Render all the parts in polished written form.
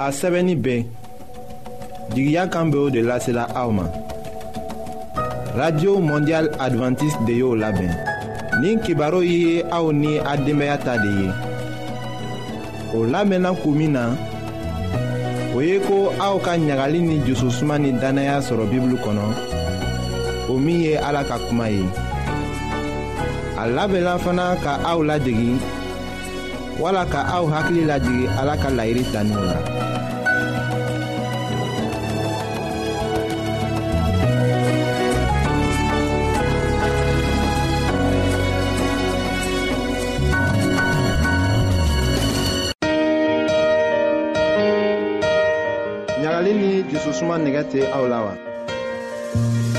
A sɛbɛnni bɛ jigiya kan bɛ o de lasela aw ma radio mondial adventiste de y'o labɛn nin kibaru ye aw ni a denbaya ta de ye o labɛnna kun min na o ye ko aw ka ɲagali ni jususuma ni dannaya sɔrɔ bibulu kɔnɔ o min ye ala ka kuma ye a labɛnna fana ka aw ladegi wala ka aw hakili lajigin ala ka laɲini taninw la. ɲagali ni jususuma nɛgɛ tɛ aw la wa.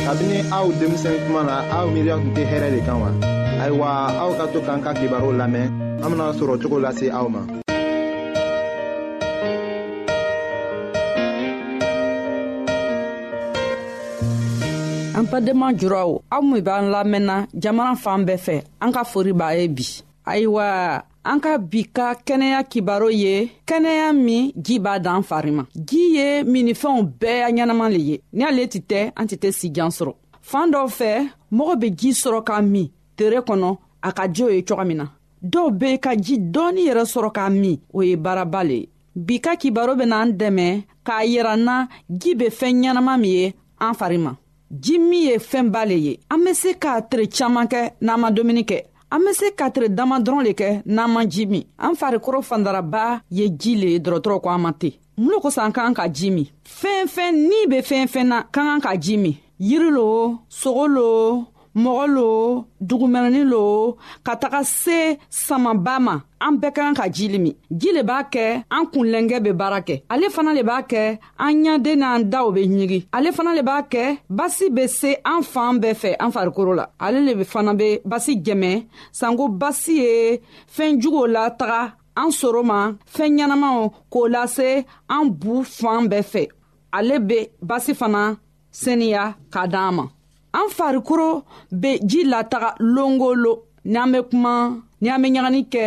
Kabini aw denmisɛn tuma na aw miiriya tun tɛ hɛrɛ de kan wa ayiwa aw ka to k'an ka kibaru lamɛn an bena sɔrɔ cogo lase aw ma an badenma juraw aw min b'an lamɛnna jamana fan bɛɛ fɛ an ka fori b'a ye bi ayiwa an ka bi ka kɛnɛya kibaro ye kɛnɛya min ji b'a dan fari ma ji ye minifɛnw bɛɛ ɲɛnama le ye ni ale tɛ tɛ an tɛ tɛ sijan sɔrɔ fan dɔw fɛ mɔgɔ bɛ ji sɔrɔ ka min tere kɔnɔ a ka jo ye cogo min na dɔw bɛ ka ji dɔɔni yɛrɛ sɔrɔ k'a min o ye baaraba le ye bi ka kibaro bɛ n'an dɛmɛ k'a yira n na ji bɛ fɛn ɲɛnama min ye an fari ma ji min ye fɛnba le ye an bɛ se ka tere caman kɛ n'an ma dumuni kɛ an bɛ se ka tere dama dɔrɔn le kɛ n'an ma ji min an farikolo fandaraba ye ji le ye dɔrɔtɔrɔ ko an ma ten mun lo kosɔn an ka kan ka ji min fɛn fɛn ni bɛ fɛn fɛn na ka kan ka ji min yiri lo sogo lo mɔgɔ lo dugumɛnɛni lo ka taga se samaba ma an bɛɛ ka kan ka ji le min ji le b'a kɛ an kunlɛnkɛ bɛ baara kɛ ale fana le b'a kɛ an ɲaden n'an daw bɛ ɲigi ale fana le b'a kɛ basi bɛ se an fan bɛɛ fɛ an farikolo la ale le fana bɛ basi jɛmɛ sanko basi ye fɛn juguw la taga an soro ma fɛn ɲɛnamaw k'o lase an bu fan bɛɛ fɛ ale bɛ basi fana seniya k'a d'an ma an farikolo bɛ ji lataga longo lo ni an bɛ kuma ni an bɛ ɲagani kɛ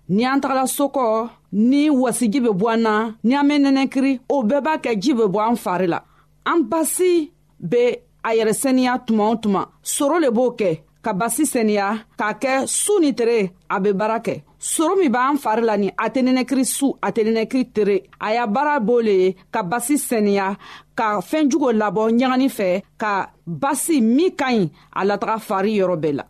ni an tagala so kɔ ni wasiji bɛ bɔ an na ni an bɛ nɛnɛkiri o bɛɛ b'a kɛ ji bɛ bɔ an fari la an basi bɛ a yɛrɛ sɛniya tuma o tuma soro le b'o kɛ ka basi sɛniya k'a kɛ su ni tere a bɛ baara kɛ soro min b'an fari la ni a tɛ nɛnɛkiri su a tɛ nɛnɛkiri tere a y'a baara b'o le ye ka basi sɛniya ka fɛn jugu labɔ ɲagani fɛ ka basi min ka ɲi a lataga fari yɔrɔ bɛɛ la.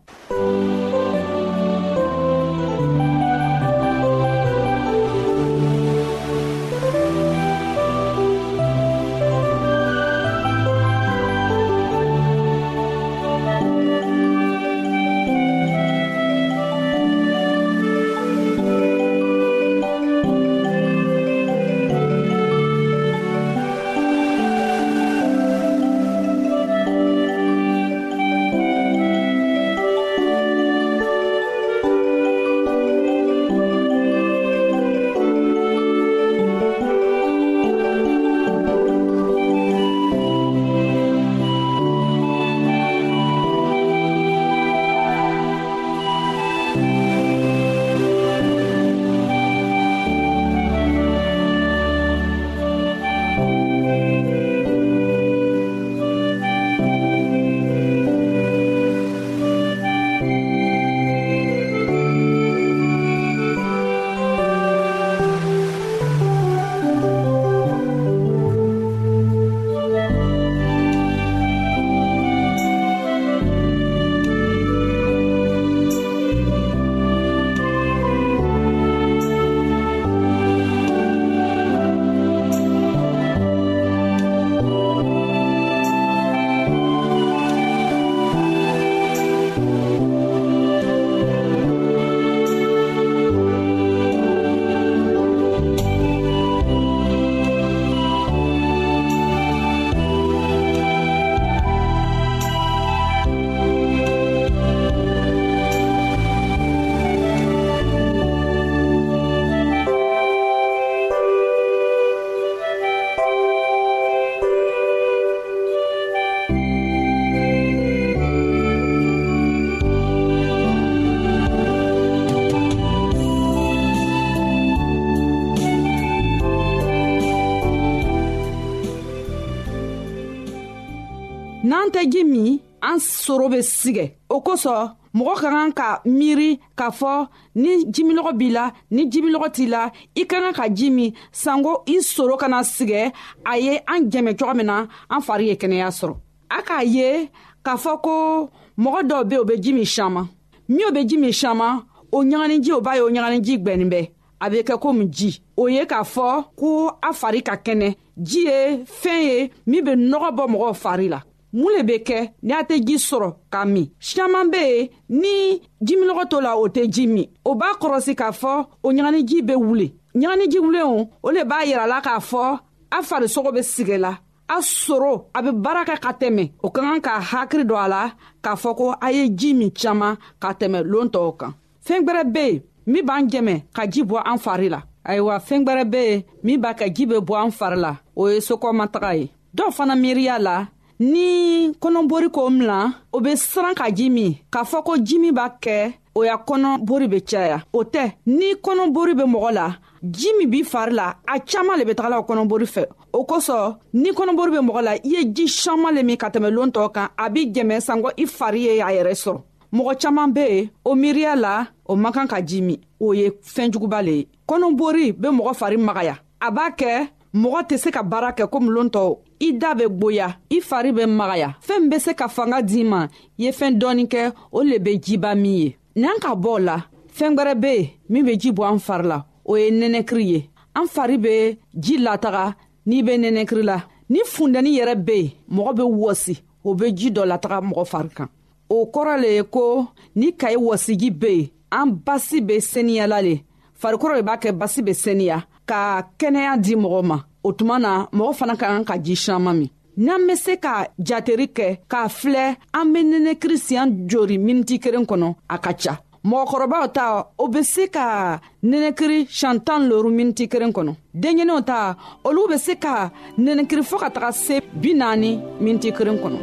An soro bɛ sigɛ. O kosɔn mɔgɔ ka kan ka miiri k'a fɔ ni jiminɔgɔ b'i la, ni jiminɔgɔ t'i la, i ka kan ka ji min sanko i soro kana sigɛ. A ye an jɛmɛ cogo min na, an fari ye kɛnɛya sɔrɔ. A k'a ye k'a fɔ ko mɔgɔ dɔw be, o be ji min siaman min, o be ji min siaman, o ɲaganiji, o b'a ye o ɲaganiji gwɛnin bɛ, a bɛ kɛ komi ji. O ye k'a fɔ ko a fari ka kɛnɛ. Ji ye fɛn ye min bɛ nɔgɔ bɔ mɔgɔw fari la. Mun le bɛ kɛ ni a tɛ ji sɔrɔ ka min? Siaman bɛ yen, ni jiminɔgɔ t'o la, o tɛ ji min. O b'a kɔrɔsi k'a fɔ o ɲaganiji bɛ wuli. Ɲaganiji wulen, o le b'a yira la k'a fɔ a farisogo bɛ sigɛ la, a sɔrɔ a bɛ baara kɛ ka tɛmɛ. O ka kan ka hakili don a la k'a fɔ ko a ye ji min caman ka tɛmɛ lon tɔw kan. Fɛn gwɛrɛ bɛ yen min b'an jɛmɛ ka ji bɔ an fari la. Ayiwa, fɛn gwɛrɛ bɛ yen min b'a kɛ ji bɛ bɔ an fari la, o ye sokɔmataga ye. Dɔw fana miiriya la, ni kɔnɔbori ko mina, o bɛ siran ka ji min, k'a fɔ ko ji min b'a kɛ o ya kɔnɔbori bɛ caya. O tɛ. Ni kɔnɔbori bɛ mɔgɔ la, ji min b'i fari la, a caaman le bɛ tagala o kɔnɔbori fɛ. O kosɔn ni kɔnɔbori bɛ mɔgɔ la, i ye ji caaman le min ka tɛmɛ lon tɔw kan, a b'i jɛmɛ sanko i fari ye a yɛrɛ sɔrɔ. Mɔgɔ caaman be yen, o miiriya la o man kan ka ji min. O ye fɛn juguba le ye. Kɔnɔbori be mɔgɔ fari magaya, a b'a kɛ mɔgɔ tɛ se ka baara kɛ komi lon tɔw. I da bɛ gboya, i fari bɛ magaya. Fɛn min bɛ se ka fanga d'i ma, i ye fɛn dɔɔni kɛ, o le bɛ jiba min ye. N'an ka bɔ o la, fɛn gwɛrɛ bɛ yen min bɛ ji bɔ an fari la, o ye nɛnɛkiri ye. An fari bɛ ji lataga n'i bɛ nɛnɛkiri la. Ni fundɛni yɛrɛ bɛ yen, mɔgɔ bɛ wɔsi, o bɛ ji dɔ lataga mɔgɔ fari kan. O kɔrɔ le ye ko ni kayi wɔsiji bɛ yen, an basi bɛ seniyala le. Farikolo de b'a kɛ basi bɛ seniya ka kɛnɛya di mɔgɔ ma. O tuma na, mɔgɔ fana ka kan ka ji siaman min. N'an bɛ se ka jateri kɛ k'a filɛ, an bɛ nɛnɛkiri siɲɛ jori miniti kelen kɔnɔ, a ka ca. Mɔgɔkɔrɔbaw ta, o bɛ se ka nɛnɛkiri siɲɛ 15 miniti kelen kɔnɔ. Denɲɛninw ta, olu bɛ se ka nɛnɛkiri fɔɔ ka taga se 40 miniti kelen kɔnɔ.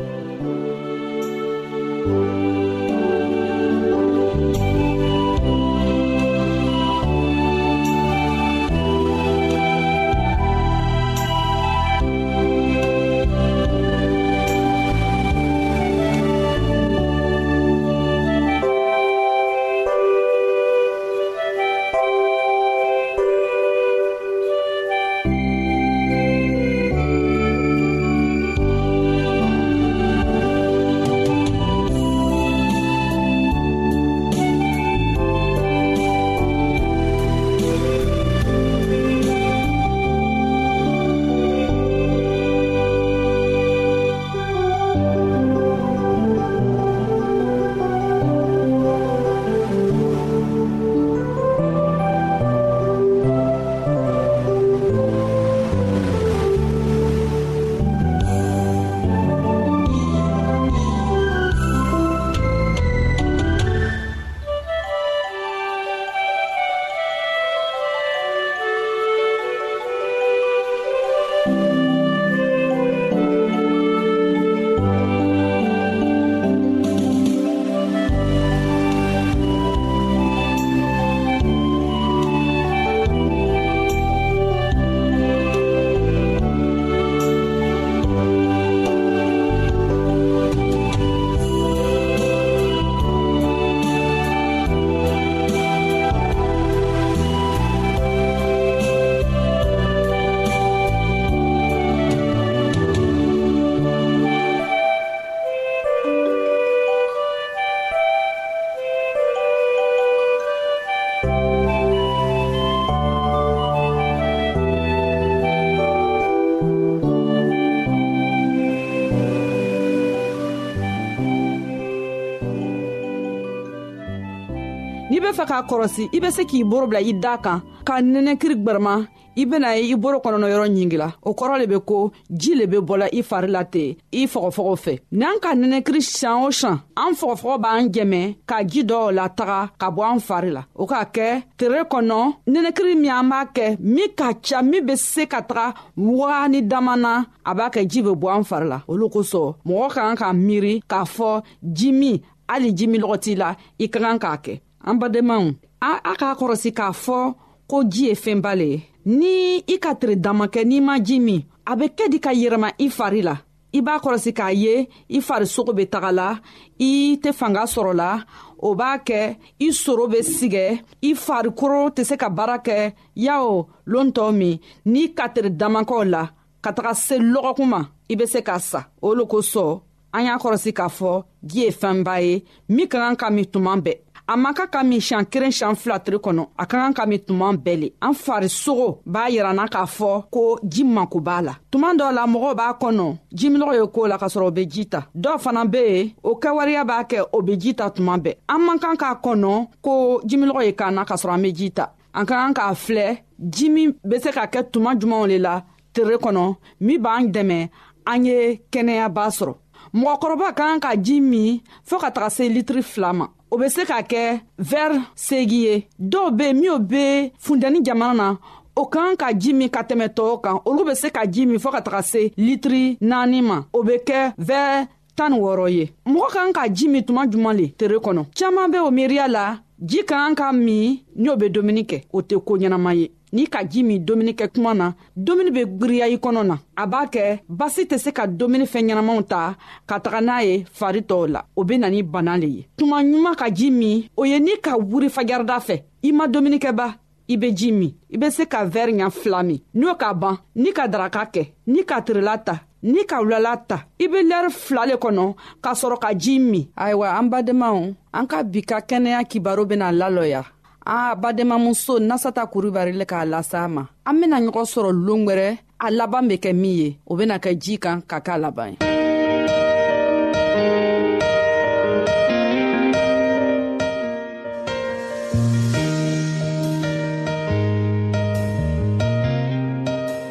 N'i bɛ fɛ k'a kɔrɔsi, i bɛ se k'i boro bila i da kan ka nɛnɛkiri gwɛrɛma, i bɛna ye i boro kɔnɔna yɔrɔ ɲingila. O kɔrɔ le bɛ ko ji le bɛ bɔla i fari la ten i fɔgɔfɔgɔ fɛ. N'an ka nɛnɛkiri sian o sian, an fɔgɔfɔgɔ b'an jɛmɛ ka ji dɔw lataga ka bɔ an fari la. O k'a kɛ tere kɔnɔ, nɛnɛkiri min an b'a kɛ min ka ca, min bɛ se ka taga wagani dama na, a b'a kɛ ji bɛ bɔ an fari la. Olu kosɔn mɔgɔ ka kan ka miiri k'a fɔ ji min, hali ji min lɔgɔ t'i la, i ka kan k'a kɛ. An badenmaw, a k'a kɔrɔsi k'a fɔ ko ji ye fɛnba le ye. Ni i ka tere dama kɛ n'i ma ji min, a bɛ kɛ di ka yɛrɛma i fari la. I b'a kɔlɔsi k'a ye i farisogo bɛ taga la, i tɛ fanga sɔrɔ la, o b'a kɛ i soro bɛ sigɛ, i farikolo tɛ se ka baara kɛ yawo lon tɔ min n'i ka tere damakɔw la ka taga se lɔgɔkun ma, i bɛ se ka sa. O le kosɔn an y'a kɔlɔsi k'a fɔ ji ye fɛnba ye min ka kan ka min tuma bɛɛ. A man kan ka min siɲɛ kelen, siɲɛ fila tile kɔnɔ, a ka kan ka min tuma bɛɛ le. An farisogo b'a yirana k'a fɔ ko ji mako b'a la. Tuma dɔw la mɔgɔw b'a kɔnɔ jiminɔgɔ ye ko la k'a sɔrɔ o bɛ ji ta. Dɔw fana bɛ yen, o kɛwaleya b'a kɛ o bɛ ji ta tuma bɛɛ. An man kan k'a kɔnɔ ko jiminɔgɔ ye k'an na k'a sɔrɔ an bɛ ji ta. An ka kan k'a filɛ ji min bɛ se ka kɛ tuma jumɛnw de la tere kɔnɔ min b'an dɛmɛ an ye kɛnɛyaba sɔrɔ. Mɔgɔkɔrɔba ka kan ka ji min fɔɔ ka taga se litiri 2 ma, o bɛ se ka kɛ vɛri 8 ye. Dɔw bɛ yen minnu bɛ funtɛni jamana na, o ka kan ka ji min ka tɛmɛ tɔw kan, olu bɛ se ka ji min fɔɔ ka taga se litiri 4 ma, o bɛ kɛ vɛri 16 ye. Mɔgɔ ka kan ka ji min tuma juman le tere kɔnɔ? Caman bɛ o miiriya la ji ka kan ka min n'o bɛ dumuni kɛ, o tɛ ko ɲɛnama ye. N'i ka ji min dumuni kɛ tuma na, dumuni bɛ gbiriya i kɔnɔ na, a b'a kɛ basi tɛ se ka dumuni fɛn ɲɛnamaw ta ka taga n'a ye fari tɔw la, o bɛ na ni bana le ye. Tuma ɲuman ka ji min, o ye n'i ka wuri fajarida fɛ, i ma dumuni kɛ ba, i bɛ ji min, i bɛ se ka vɛri ɲa 2 min. N'o ka ban, ni ka daraka kɛ, ni ka tirila ta, ni ka wulala ta, i bɛ lɛri 2 le kɔnɔ ka sɔrɔ ka ji min. Ayiwa an badenmaw, an ka bi ka kɛnɛya kibaru bɛna lalɔya. A badenmamuso Nasata Kurubali le k'a lasa ma. An bena ɲɔgɔn sɔrɔ loon gwɛrɛ, a laban be kɛ min ye, o bena kɛ ji kan ka k'a laban ye.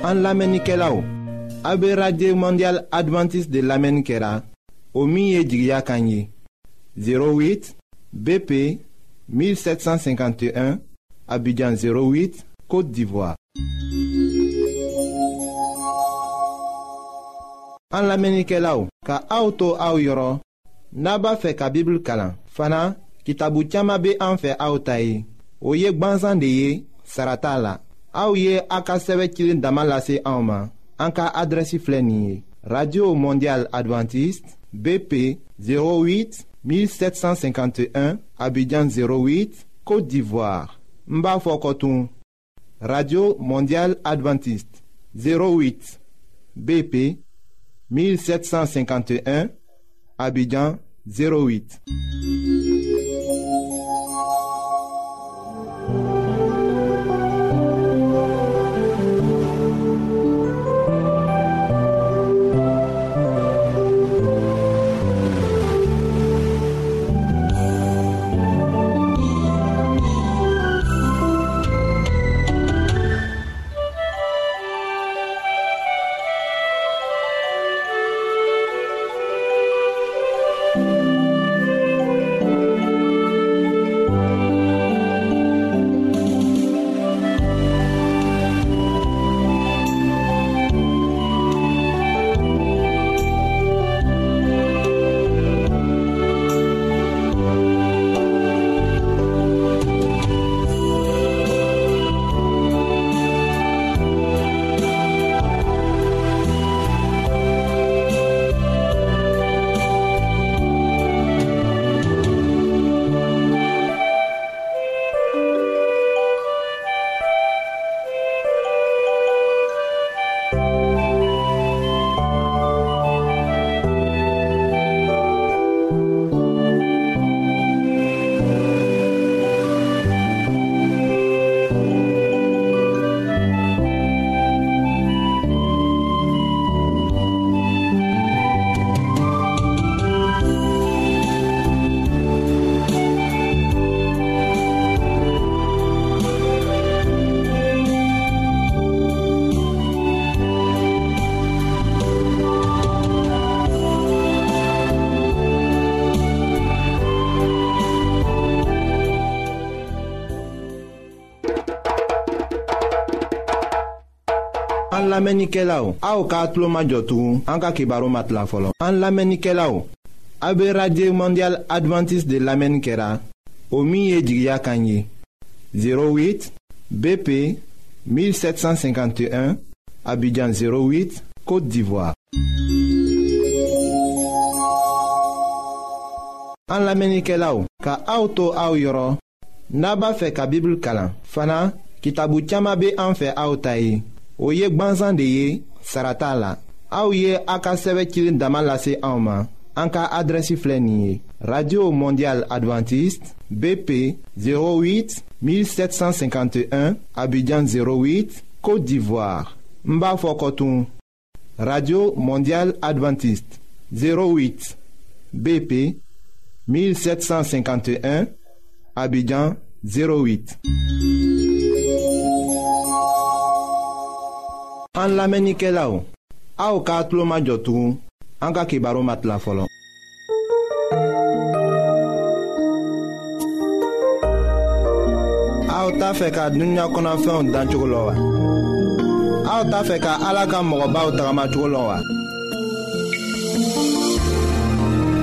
An lamɛnnikɛlaw, a be Radio Mondiale Adventiste de lamɛnni kɛra, o min ye jigiya kan ye. 08 BP 1751, Abidjan 08, Côte d'Ivoire. An lamɛnnikɛlaw, ka aw to aw yɔrɔ, n'a b'a fɛ ka Bibulu kalan fana, kitabu caman bɛ an fɛ aw ta ye. O ye gwansan de ye, sara t'a la. Aw ye a ka sɛbɛn cilen dama lase anw ma. An ka adrɛsi filɛ nin ye: Radio Mondiale Adventiste, BP 08 1751, Abidjan 08, Côte d'Ivoire. N b'a fɔ kɔtun: Radio Mondiale Adventiste 08 BP 1751, Abidjan 08. An lamɛnnikɛlaw, aw k'a tulo majɔ tugun, an ka kibaru ma tila fɔlɔ. An lamɛnnikɛlaw, aw bɛ Radio Mondiale Adventiste de lamɛnni kɛra, o min ye jigiya kan ye. 08 BP 1751, Abidjan 08, Côte d'Ivoire. An lamɛnnikɛlaw, ka aw to aw yɔrɔ, n'a b'a fɛ ka Bibulu kalan fana, kitabu caman bɛ an fɛ aw ta ye. O ye gbansan de ye, sara t'a la. Aw ye a ka sɛbɛn cilen dama lase anw ma. An ka adrɛsi filɛ nin ye: Radio Mondiale Adventiste, BP 08 1751, Abidjan 08, Côte d'Ivoire. N b'a fɔ kɔtun: Radio Mondiale Adventiste, 08 BP 1751, Abidjan 08. An lamɛnnikɛlaw, aw k'a tulo majɔ tugun, an ka kibaru ma tila fɔlɔ. Aw t'a fɛ ka dunuya kɔnɔfɛnw dancogo lɔn wa? Aw t'a fɛ ka Ala ka mɔgɔbaw tagamacogo lɔn wa?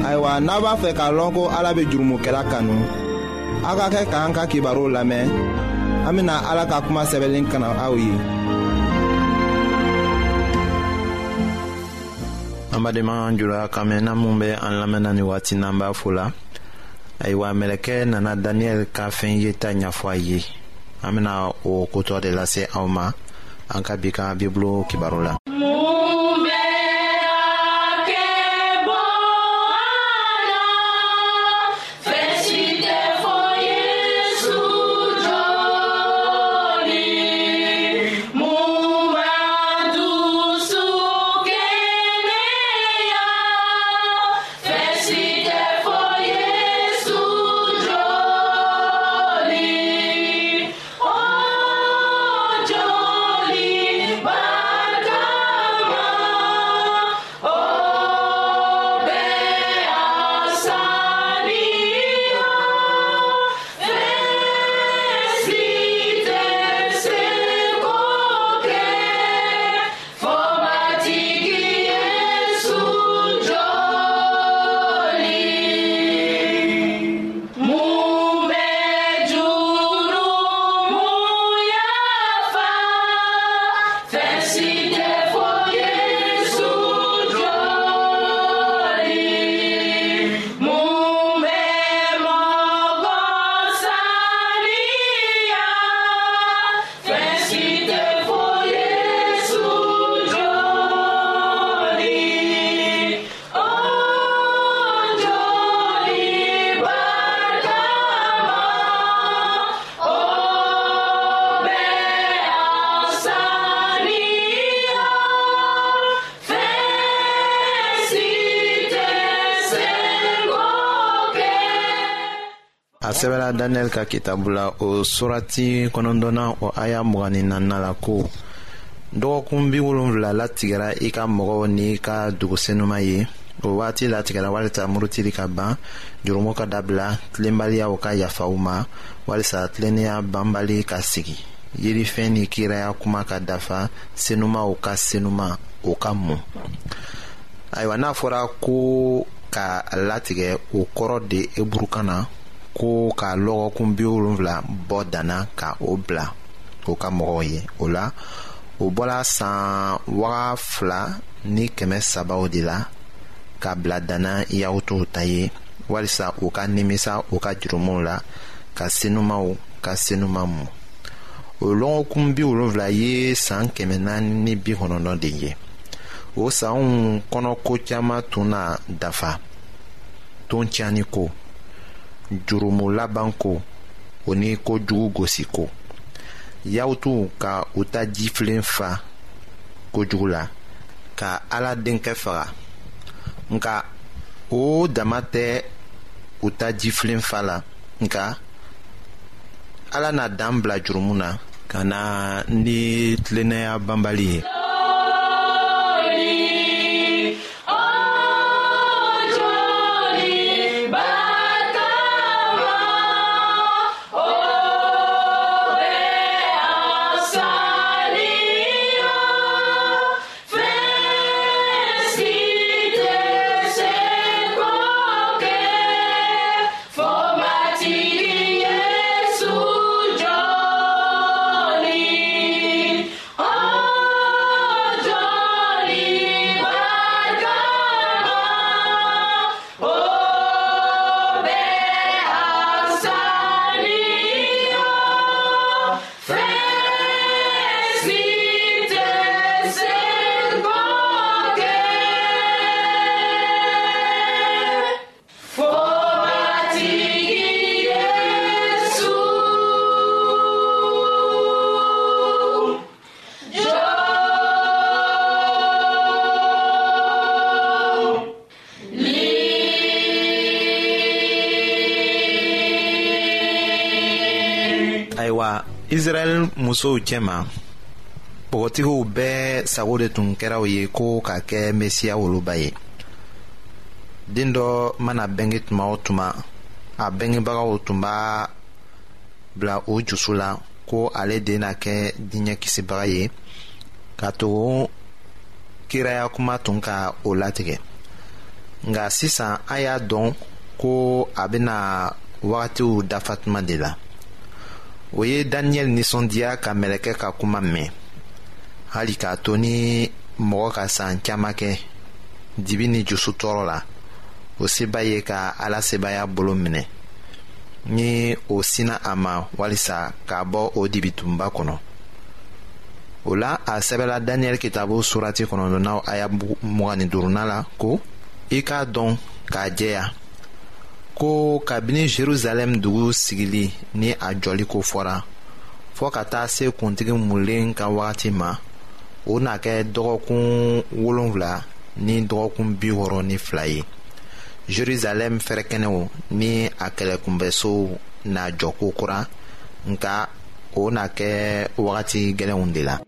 Ayiwa, n'a b'a fɛ k'a lɔn ko Ala bɛ jurumokɛla kanu, aw ka kɛ k'an ka kibaruw lamɛn. An bɛna Ala ka kuma sɛbɛnlen kana aw ye. An badenma jula kan mɛn n'a mun bɛ an lamɛnna ni waati n'an b'a fo la. Ayiwa, mɛlɛkɛ nana Daniyɛli ka fɛn yeta ɲɛfɔ a ye. An bɛna o kotɔ de lase aw ma an ka bi ka Bibulu kibaru la. A sɛbɛla Daniyɛli ka kitabu la, o surati 9na, o aya 24nan la ko: dɔgɔkun 70 latigɛra i ka mɔgɔw ni i ka dugu senuma ye. O waati latigɛra walisa murutili ka ban, jurumu ka dabila, tilenbaliyaw ka yafa u ma, walisa tilennenya banbali ka sigi, yirifɛn ni kiraya kuma ka dafa, senumaw ka senuma o ka mun. Ayiwa, n'a fɔra ko ka latigɛ, o kɔrɔ de eburukan na ko ka lɔgɔkun 70 bɔ danna ka o bila o ka mɔgɔw ye. O la, o bɔla san 2300 de la ka bila danna Yahutuw ta ye, walisa u ka nimisa u ka jurumuw la, ka senumaw ka senuma mu. O lɔgɔkun 70 ye san 490 de ye. O sanw kɔnɔ, ko caman tun na dafa: ton tiɲɛni ko, jurumu laban ko, o ni kojugu gosi ko. Yahutuw ka u ta jifilen fa kojugu la ka Ala denkɛ faga. Nka o dama tɛ u ta jifilen fa la, nka Ala na dan bila jurumu na ka na ni tilennenya banbali ye. Ayiwa Israɛl musow cɛma npogotigiw bɛɛ sago de tun kɛra u ye ko ka kɛ Mesiya woloba ye. Den dɔ mana bɛnge tuma o tuma, a bɛngebagaw tun b'a bila o jusu la ko ale de na kɛ diɲɛ kisibaga ye ka tugu kiraya kuma tun ka o latigɛ nka sisan a y'a dɔn ko a bɛna wagatiw dafa tuma de la o ye daniyɛli nisɔndiya ka mɛlɛkɛ ka kuma mɛn hali k'a to ni mɔgɔ ka san caman kɛ dibi ni jusu tɔɔrɔ la o seba ye ka ala sebaaya bolo minɛ ni o sinna a ma walisa k'a bɔ o dibitunba kɔnɔ o la a sɛbɛla daniyɛli kitabu surati kɔnɔntɔnnan aya 25nan la ko i k'a dɔn k'a jɛya ko kabini jerusalɛm dugu sigili ni a jɔli ko fɔra fɔɔ ka taa se kuntigi mulen ka wagati ma o na kɛ dɔgɔkun wolonwula ni dɔgɔkun 62 ye jerusalɛm fɛrɛkɛnɛw ni a kɛlɛkunbɛsow na jɔ ko kura nka o na kɛ wagati gɛlɛnw de la.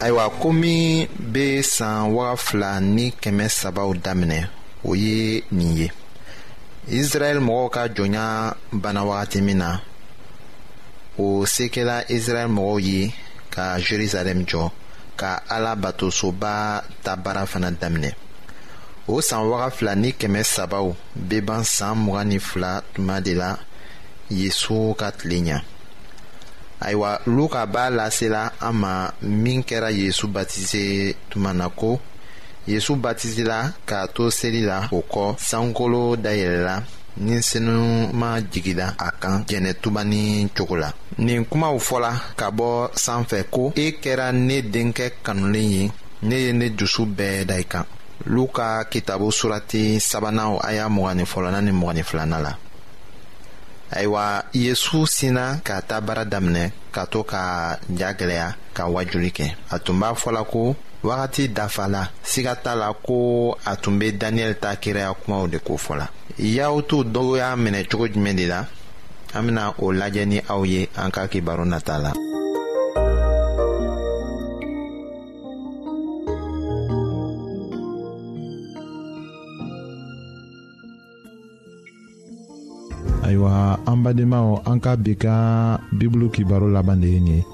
Ayiwa ko min bɛ san 2300 daminɛ o ye nin ye israɛl mɔgɔw ka jɔnya banna wagati min na o se kɛla israɛl mɔgɔw ye ka jerusalɛm jɔ ka ala batosoba ta baara fana daminɛ o san 2300 bɛ ban san 22 tuma de la yesu ka tile ɲɛ ayiwa luka b'a lasela an ma min kɛra yesu batise tuma na ko yesu batisela k'a to seli la o kɔ sankolo dayɛlɛla ni senuma jigila a kan jɛnɛtubani cogo la nin kumaw fɔla ka bɔ sanfɛ ko e kɛra ne denkɛ kanulen ye ne ye ne dusu bɛɛ da i kan luka kitabu surati sabanan aya 21nan ni 22nan la ayiwa yesu sinna ka ta baara daminɛ ka to ka ja gwɛlɛya ka wajuli kɛ a tun b'a fɔla ko wagati dafala siga t'a la ko a tun bɛ daniyɛli ta kiraya kumaw de ko fɔla yahutu dɔw y'a minɛ cogo jumɛn de la an bena o lajɛ ni aw ye an ka kibaru nata la. Ayiwa an badenmaw an ka bi ka bibulu kibaru laban de ye nin ye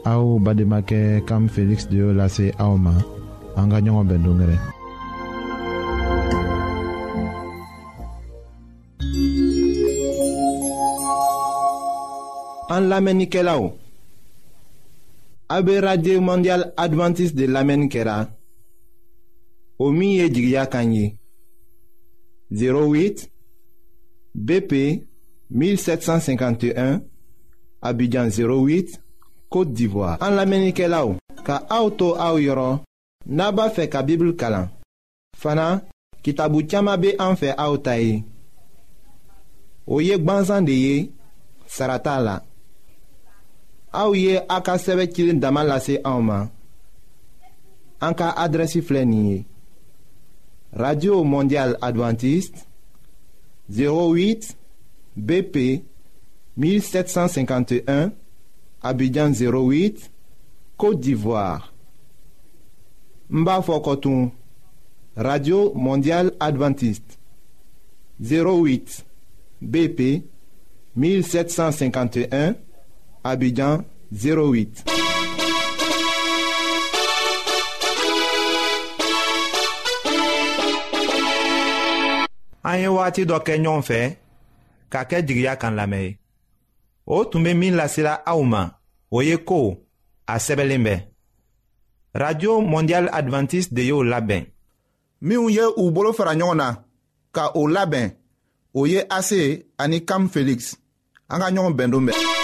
aw badenmakɛ kam feliksi de y'o lase aw ma an ka ɲɔgɔn bɛn don gɛrɛ. An lamɛnnikɛlaw aw bɛ radio mondial adventiste de lamɛnni kɛra o min ye jigiya kan ye. 08 BP 1751 Abidjan 08 Côte d'Ivoire. An lamɛnnikɛlaw. Ka aw to aw yɔrɔ n'a b'a fɛ ka Bibulu kalan fana kitabu caman bɛ an fɛ aw ta ye. O ye gbansan de ye sara t'a la. Aw ye a ka sɛbɛn cilen dama lase anw ma. An ka adrɛsi filɛ nin ye. Radio Mondiale Adventiste 08 BP 1751 Abidjan 08 Côte d'Ivoire. N b'a fɔ kɔtun Radio Mondiale Adventiste 08 BP 1751 Abidjan 08. An ye wagati dɔ kɛ ɲɔgɔn fɛ ka kɛ jigiya kan lamɛn ye o tun bɛ min lasela aw ma o ye ko a sɛbɛnlen bɛ radio mondiale adventiste de y'o labɛn. Minnu ye u bolo fara ɲɔgɔn na ka o labɛn o ye ase ani kam felix an ka ɲɔgɔn bɛn don bɛɛ.